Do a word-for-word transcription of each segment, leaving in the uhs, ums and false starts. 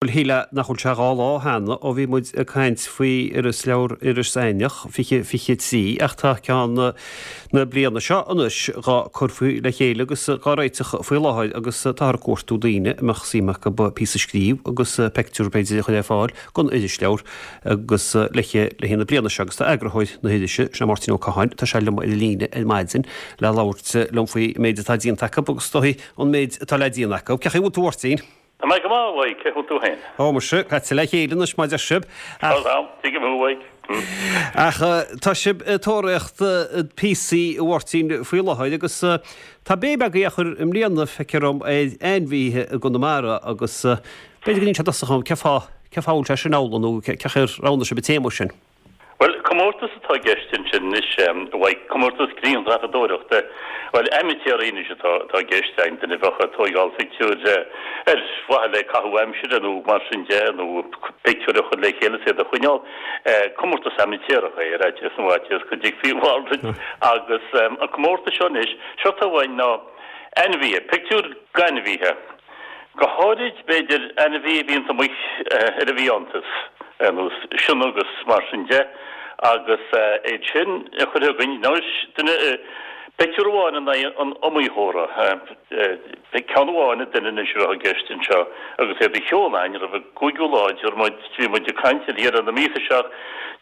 Bhuel, shílfeá nach bhfuil sé dhá lá cheana ó bhí muid ag caint faoi irisleabhar Iris Eidhneach fiche fiche trí ach tá ceann na bliana seo anois dhá cur faoi le chéile agus dhá réiteach faoi láthair agus táthar ag cuartú daoine a mbeadh suim acu píosa a scríobh agus peictiúr b'fhéidir a chur ar fáil don irisleabhar agus le le na bliana seo agus tá eagarthóir na hirise sé Máirtín Ó Catháin tá sé liom ar líne ar maidin le labhairt liom faoi méid atá déanta acu agus dóigh an méid atá le déanamh acu. Cén chaoi a bhfuil tú a Mháirtín? Tá mé go maith, a Mhaidhc, cén chaoi a bhfuil tú féin? Ó, muise, caite le chéile anois mar deir sibh. Tá am, tuigim thú, a Mhaidhc. Ach tá sibh ag tóraíocht píosaí a Mháirtín faoi láthair agus tá béim agaibh á chur i mbliana, feictear dom, ar ainmhithe i gConamara agus b'fhéidir go ndéanfaidh sé dosach dom cén fáth, cén fáth a bhfuil sé sin amhlaidh nó cén chaoi ar roghnaigh sibh an téama sin? Bhuel, comórtas atá i gceist ansin anois, a Mhaidhc, comórtas grianghrafadóireachta. Bhuel, aimitéaraí anois atá atá i gceist againn, duine a bheadh ag tóigeáil pictiúir ar mhaithe le caitheamh aimsire nó mar sin de, nó pictiúir a chur le chéile is iad a choinneáil. Comórtas aimitéarach é, ar fhaitíos na bhfaitíos go dtuigfí a mhalrait. Agus an comórtas seo anois, séard atá uainn ná ainmhithe, pictiúir d'ainmhithe. Go háirid, b'fhéidir, ainmhí a bhíonns amuigh ar an bhfiántas, ar nós sionnach agus mar sin de, agus iad sin a chur chugainn. Anois, duine, pictiúr amháin in aghaidh an iomaitheora, ceann amháin ag duine anois a bheadh i gceist anseo, agus iad a sheoladh chugainn roimh an gcúigiú lá, tabharfaidh muid, bhí muid ag caint ar dheireadh na míosa seo,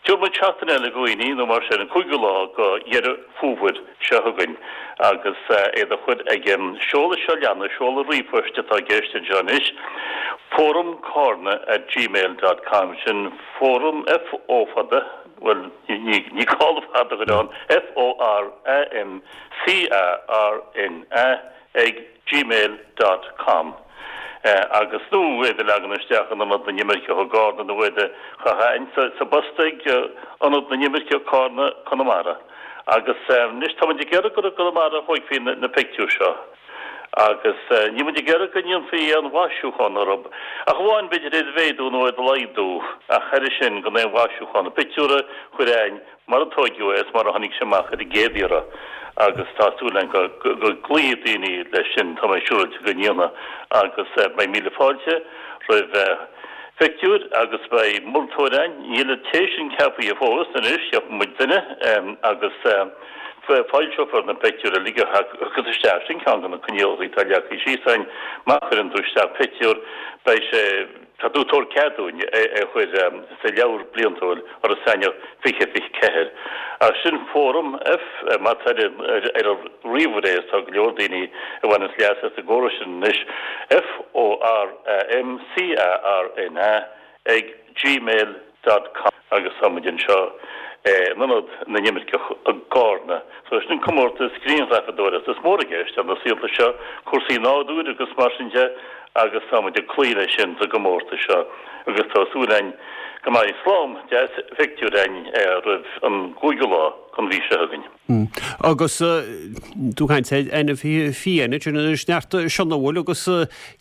tabharfaidh muid seachtain eile do dhaoine nó mar sin, an cúigiú lá de Dheireadh Fómhair seo chugainn agus iad a chur ag an seoladh seo leanas, seoladh ríomhphoist atá i gceist anseo anois, fóramcarna at gmail dot com, sin fóram, F O fada, bhuel, ní ní gá an fada a chur ann, F O R A M C A R N A ag gmail dot com agus nó iad a leagan isteach in Ionad na nImirceach i gCárna nó iad a chaitheamh sa bpost ag Ionad na nImirceach, Cárna, Conamara. Agus anois tá muid ag iarraidh gur i gConamara a thóigfí na pictiúir seo agus níl muid ag iarraidh go ndéanfaí aon mhaisiúchán orthu, ach amháin b'fhéidir iad a mhéadú nó iad a laghdú, ach thairis sin gan aon mhaisiúchán. Na pictiúir a chur chugainn mar a tóigeadh é is mar a tháinig sé amach ar an gcéad iarraidh agus tá súil againn go gcloífidh daoine leis sin, tá mé siúráilte go ndéanfaidh agus beidh míle fáilte roimh phictiúir agus beidh moltóir againn, níl an té sin ceaptha fós anois, ceapfaidh muid duine agus foilseofar na pictiúir uilig a thiocfas isteach, sin ceann de na coinníollacha atá leagtha síos againn, má chuireann tú isteach pictiúr beidh sé. Tá tú ag tabhairt cead dúinn é a chur sa leabhar bliantúil Iorras Aithneach fiche fiche ceathair. Ach sin Fóram F, má tá ar an ríomhaire é, tá go leor daoine a bhaineanns leas as an gcóras sin anois, F O R A M C A R N A ag gmail dot com agus tá muid anseo in Ionad na nImirceach i gCárna. So sin comórtas grianghrafadóireachta. Is mór i gceist ar na saolta seo cúrsaí nádúir agus mar sin de agus tá muid ag cloí leis sin sa gcomórtas seo agus tá súil againn go mbeidh slám deas phictiúr againn roimh an gcúigiú lá den mhí seo chugainn. Agus tú ag caint ar ainmhithe fiáine, sin anois neart sionnach an bhfuil agus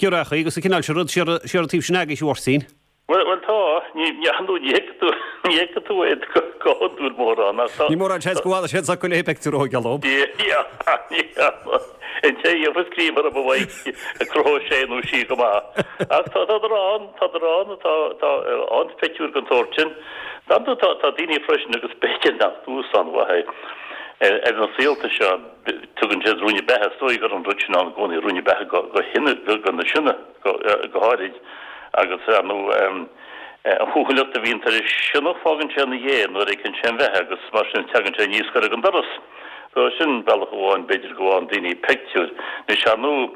giorriachaí agus an cineál sin rud siar an taobh sin agaibh a Mháirtín. Bhuel, bhuel tá. Ní, ní, ar ndóigh ní fheicfidh tú, ní fheicfidh tú iad go, go hiondúil mórán ach tá. Ní mórán seans go bhfanfaidh siad s'acu le pictiúr a thógáil dóibh. Yeah, yeah. An té a gheobhas greim orthu a Mhaidhc, cruthóidh sé nó sí go maith. Ach tá, tádar ann, tádar ann, tá, tá ann pictiúir den tsórt sin. Dar ndóigh tá, tá daoine freisin agus b'fhéidir nach dúshlán mhaith é ar na saolta seo, tugann siad ruainne beatha, is dóigh go raibh an rud sin ann i gcónaí, ruainne beatha go, go hiona, go, go na sionna. go háirid, agus ar ndóigh an chúthaileacht a bhíonn ar an sionnach, fágann sé ina dhiaidh nuair a fheiceann sé an bheatha agus mar sin tagann sé aníos gar don doras. So sin bealach amháin b'fhéidir go bhfaigheann daoine pictiúir. Anois ar ndóigh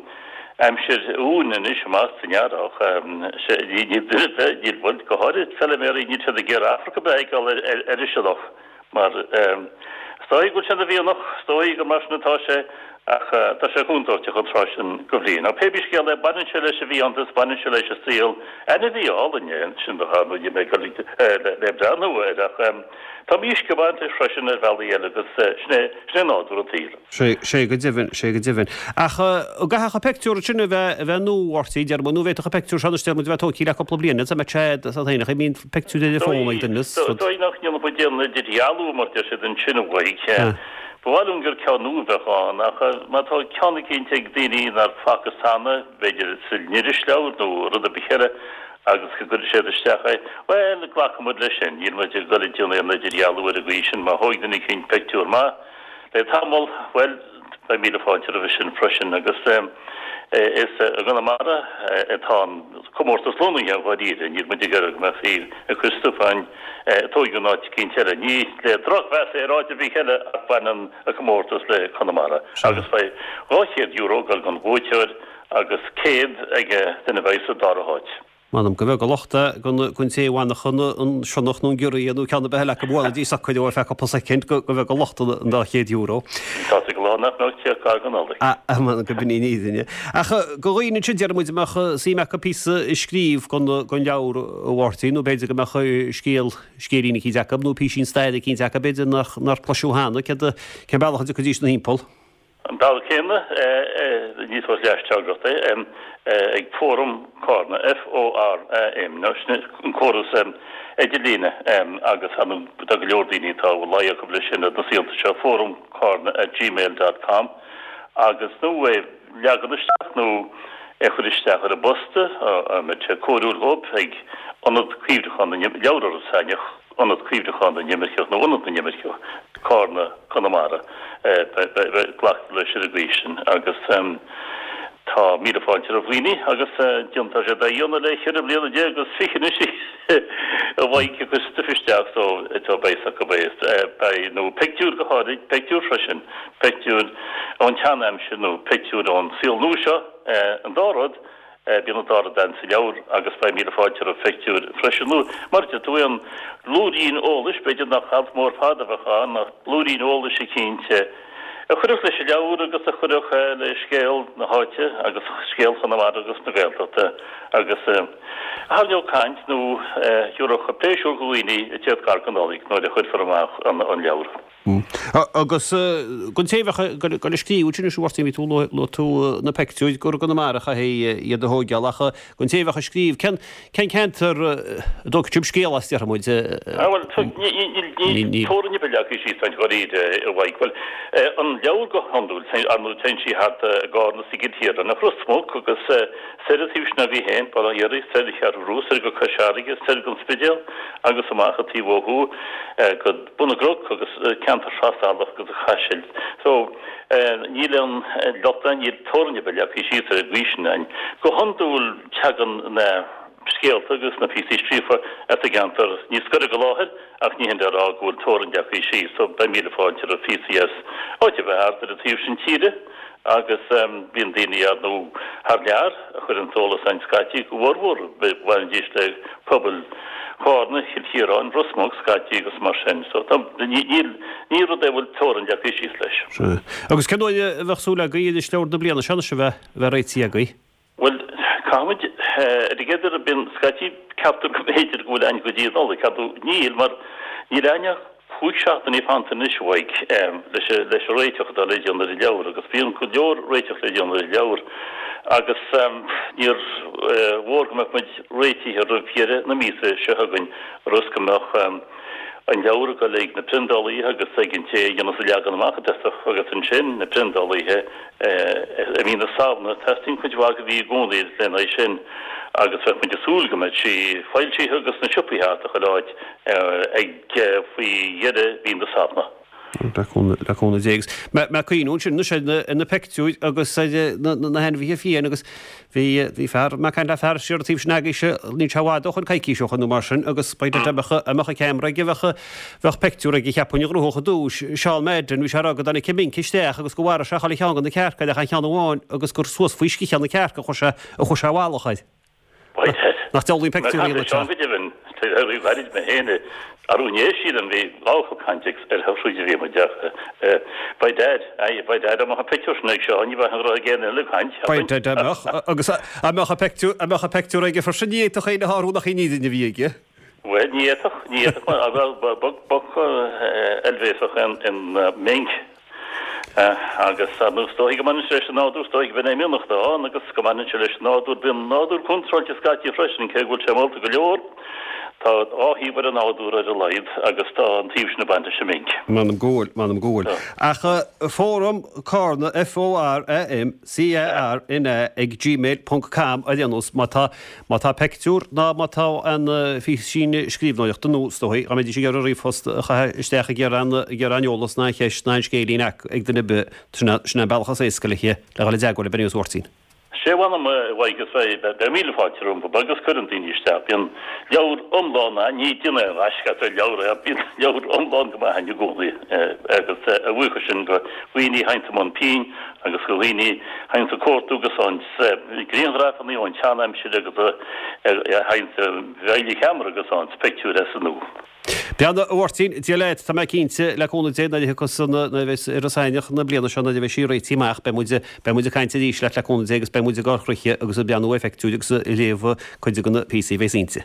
aimsir uain anois amach san earrach, níl duine ar bith, níl, bhuel go háirid feiliméaraí, níl siad ag iarraidh afraic ar bith a fheiceáil ar an sionnach. Mar is dóigh go bhfuil sé ina mhianach, is dóigh gur mar sin atá sé, ach tá sé contúirteach an tráth sin de bhliain. Ach pé bí scéal é, baineann sé leis an bhfiántas, baineann sé leis an saol. Ainmhí álainn é an sionnach, ar ndóigh, níl mé ag dul le breathnú air, ach tá mísc ag baint leis freisin ar bhealaí eile agus sin é, sin é nádúr an tsaoil. Sé, sé go deimhin, sé go deimhin. Ach an gcaithfeadh an peictiúr sin a bheith, a bheith nua, a Mháirtín, deir muid, nó an bhféadfadh an peictiúr seo anois, deir muid, a bheith tógtha le cúpla bliain, is mbeadh sé sa fhéineach, I mean, peictiúr ar an bhfón ag duine is rud. Is dóigh nach ndéanfadh muid aon idirdhealú, mar deir siad ansin, a Mhaidhc. Ba mhaith liom gur ceann nua a bheadh ann, ach má tá ceann eicínt ag daoine nár facthas cheana, b'fhéidir san irisleabhar nó rud ar bith eile, agus go gcuirfidh siad isteach é. Bhuel, glacfaidh muid leis sin, níl muid ag dul ag déanamh aon idirdhealú ar an gcaoi sin, má thóig duine eicínt pictiúr maith le tamall, bhuel, beidh míle fáilte roimhe sin freisin. Agus is i gConamara atá an comórtas lonnaithe dháiríre, níl muid ag iarraidh go mbeifí ag cur stuif againn a tóigeadh in áit eicínt eile. Ní le drochmheas ar áit ar bith eile ach baineann an comórtas le Conamara. Agus beidh dhá chéad euro ag dul don bhuaiteoir agus céad ag duine a bheidh sa dara háit. M'anam go bheag an locht é don té a bhainfeadh an sionnach nó an giorria nó ceann ar bith eile acu bhuailfidís socair ar feadh cúpla soicind go bheag an locht an dá chéad euro. Tá sé go lá nach mbeadh téacs gar don Nollaig. M'anam go b'in í an fhírinne. Ach do dhaoine ansin deir muid a mbeadh suim acu píosa a scríobh don leabhar a Mháirtín nó b'fhéidir go mbeadh scéal, scéilín eicínt acu nó písín staire eicínt acu b'fhéidir nach nár cloiseadh cheana, cén bealach a dtiocfaidís ina thimpeall? An bealach céanna, ní tabhairt leis-teachtaireacht é, ag Fóram Carna, F-O-R-A-M, nó sin an córas idirlíne agus ar ndóigh tá go leor daoine atá a bhfuil luí acu leis sin ar na saolta seo, Fóram Carna at gmail dot com agus nó é leagan isteach nó é chur isteach ar an bposta, a mbeidh sé cóiriúil dhóibh, ag Ionad Cuimhneacháin na Leabhar Iorras Aithneach, Ionad Cuimhneacháin na nImirceach nó Ionad na nImirceach, Carna, Conamara. Glactar leis ar an gcaoi sin agus tá míle fáilte roimh dhaoine agus déantar sé dá dhéanamh le ceithre bliana déag agus fiche anois a bheidh ag cur stuif isteach so tá beidh acu beidh nó pictiúr go háirid, pictiúr freisin, pictiúr ón tsean-aimsir nó pictiúr ón saol nua seo, an dá rud. Bíonn an dá rud ann sa leabhar agus beidh míle fáilte roimh phictiúir freisin. Nó, mar a deir tú, aon bhlúirín eolais, b'fhéidir nach alt mór fada a bheadh ann, ach blúirín eolais eicínt a chuirfeadh leis an leabhar agus a chuirfeadh le scéal na háite agus scéal Chonamara agus na Gaeltachta agus a tharraingeodh caint nó a thabharfadh pléisiúr do dhaoine ag tíocht gar don Nollaig nuair a chuirfear amach an leabhar. Agus don té a bheadh ag dul a scríobh ansin anois, a Mháirtín, bhí tú, luaigh tú na peictiúir gur i gConamara a chaithfí iad a thóigeáil ach don té a bheadh ag scríobh, cén cén ceantar a dtógfadh sibh scéal as, déarfaidh muid? Ah bhuel, níl teorainn ar bith leagtha síos ann dháiríre, a Mhaidhc. Bhuel, an leabhar go hiondúil, ar ndóigh, téann sí thart i gCarna is i gCill Chiaráin, ach Ros Muc agus soir an taobh sin agaibh féin, Baile Átha Fhiarraí, soir an Cheathrú Rua, soir go Cois Fharraige, soir gon Spidéal agus amach an taobh ó thuaidh go Bun na gCnoc agus ceantar Thrasalach agus an Chaisil. So, níl aon locht ann, níl teorainn ar bith leagtha síos ar an gcaoi sin ann. Go hiondúil tagann na scéalta agus na píosaí scríofa as an gceantar níos gaire go láthair ach ní hin le rá go bhfuil teorainn leagtha síos. So, beidh míle fáilte roimh phíosaí as áit ar bith thart ar an taobh sin tíre. Agus bíonn daoine ar ndóigh thar lear a chuireann eolas againn scaití, go bhformhór bhainidís le pobail Chárna, Chill Chiaráin, Ros Muc scaití agus mar sin. So tá, níl, ní rud é a bhfuil teorainn leagtha síos leis. Sea. Agus cén uair a bheadh súil agaibh irisleabhar na bliana seo anois a bheith, a bheith réitithe agaibh? Bhuel, caithfimid, ar an gcéad iarraidh, bíonn scaití, ceaptar go mb'fhéidir go bhfuil againn go dtí an Nollaig, ar ndóigh níl, mar níl againn ach cúig seachtainí fanta anois a Mhaidhc leis leis an réiteach atá le déanamh ar an leabhar agus bíonn go leor réiteach le déanamh ar an leabhar agus níor mhór go mbeadh muid réitithe roimh dheireadh na míosa seo chugainn ionas go mbeadh an leabhar ag dul ag na priondálaithe agus ag an té a dhéanas an leagan amach i dtosach agus ansin na priondálaithe i mí na Samhna. Teastaíonn cuid mhaith de mhí i gcónaí lena aghaidh sin agus bheadh muid ag súil go mbeadh sí foilsithe agus sna siopaí thart ar chuile áit ag faoi dheireadh mhí na Samhna. Le cúnamh Dé. Agus mé ag cuimhniú ansin anois ar na peictiúir agus ar na hainmhithe fiáine agus bhí bhí fear, mé ag caint le fear siar an taobh sin agaibhse, níl sé i bhfad ó shoin, coicís ó shoin nó mar sin agus ba dá mbeadh a mbeadh an ceamara aige bheadh bheadh peictiúr aige cheapfainn a ghnóthódh i dtús. Seán Madden, bhí sé ag rá go dtáinig minc isteach agus go mharaigh sé chuile cheann de na cearca ach an ceann amháin agus gur suas faoi sciathán na cearca a chuaigh sé a chuaigh sé i bhfalach air. Nach diabhlaí an peictiúr í Seán go deimhin, gairid mé féin arú inné sílim bhí dhá fhocal cainte ar shroich a bhí muid ach by dad, aye, by dad, dá mbeadh an pictiúr sin ag Seán ní bheadh an raibh ag aon eile ag caint, By dad, dá mbeadh, agus dá mbeadh an pictiúr, dá mbeadh an pictiúr aige freisin ní fhéadfadh éinne a shárú nach í an fhírinne a bhí aige. Bhuel, ní fhéadfadh, ní fhéadfadh, mar ba boc oilbhéasach an minc. Agus ar ndóigh, is dóichí go mbaineann sé leis an nádúr, is dóichí go b'in é mianach atá ann agus go mbaineann sé leis an nádúr. Bíonn an nádúr contráilte scaití freisin, cé go bhfuil sé molta go leor. Tá dhá thaobh ar an nádúr ar a laghad agus tá an taobh sin ag baint leis an minc. M'anam go bhfuil, m'anam go bhfuil. Ach Fóram Carna, F O R A M C A R N A ag gmail ponc com ar aon nós má tá, má tá peictiúr ná má tá aon phíosín scríbhneoireachta nó is dóigh dá mbeidís ag iarraidh ríomhphost a chaitheamh isteach ag iarraidh aon, ag iarraidh aon eolas ná aon cheist ná aon scéilín ag duine ar bith, sin é, sin é an bealach is éasca le, le dhul i dteagmháil le Beirní Mháirtín. Sé mh'anam a Mhaidhc is beidh míle fáilte rompu agus cuireann daoine isteach. Bíonn leabhar iomlán ann, ní déanamh aon ghaisce as ar leabhar é, bíonn leabhar iomlán go maith ann i gcónaí agus a bhuíochas sin go dhaoine a théanns i mbun pinn agus go dhaoine a théanns ag cuartú agus faigheanns grianghrafanna ón tseanaimsir agus a théanns a bhfeidhligh cheamara agus faigheanns pictiúir as an nua. Beannacht a Mháirtín, Dia leat, tá mé cinnte, le cúnamh Dé, nuair a thiocfas an, nuair a bheas Iris Éineach na bliana seo, nuair a bheidh sí réitithe amach, beidh muid, beidh muid ag caint arís leat le cúnamh Dé agus beidh muid ag ár gcroíthe agus ag breathnú ar phictiúir agus ag léamh cuid de na píosaí a bheas inti.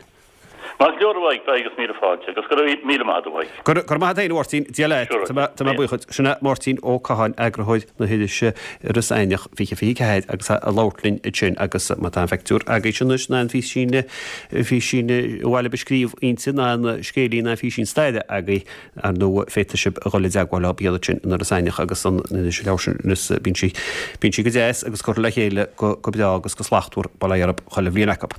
Maith go leor a Mhaidhc, beidh agus míle fáilte agus go raibh míle maith agat a Mhaidhc. Go raibh maith agat féin a Mháirtín, Dia leat, tá mé, tá mé buíoch duit. Sin é Máirtín Ó Catháin, eagarthóir na hirise Iris Éineach fiche fiche ceathair agus é ag labhairt linn ansin agus má tá aon phictiúr agaibhse anois ná aon phísín, físín ar mhaith libh a scríobh inti ná aon scéilín ná físín staire agaibh, ar ndóigh féadfaidh sibh a dhul i dteagmháil leo iad sin in Iris Éineach agus an iris leabhar sin is bíonn sí, bíonn sí go deas agus curtha le chéile go, go breá agus go slachtmhar, bail ó Dhia orthu chuile bhliain acu.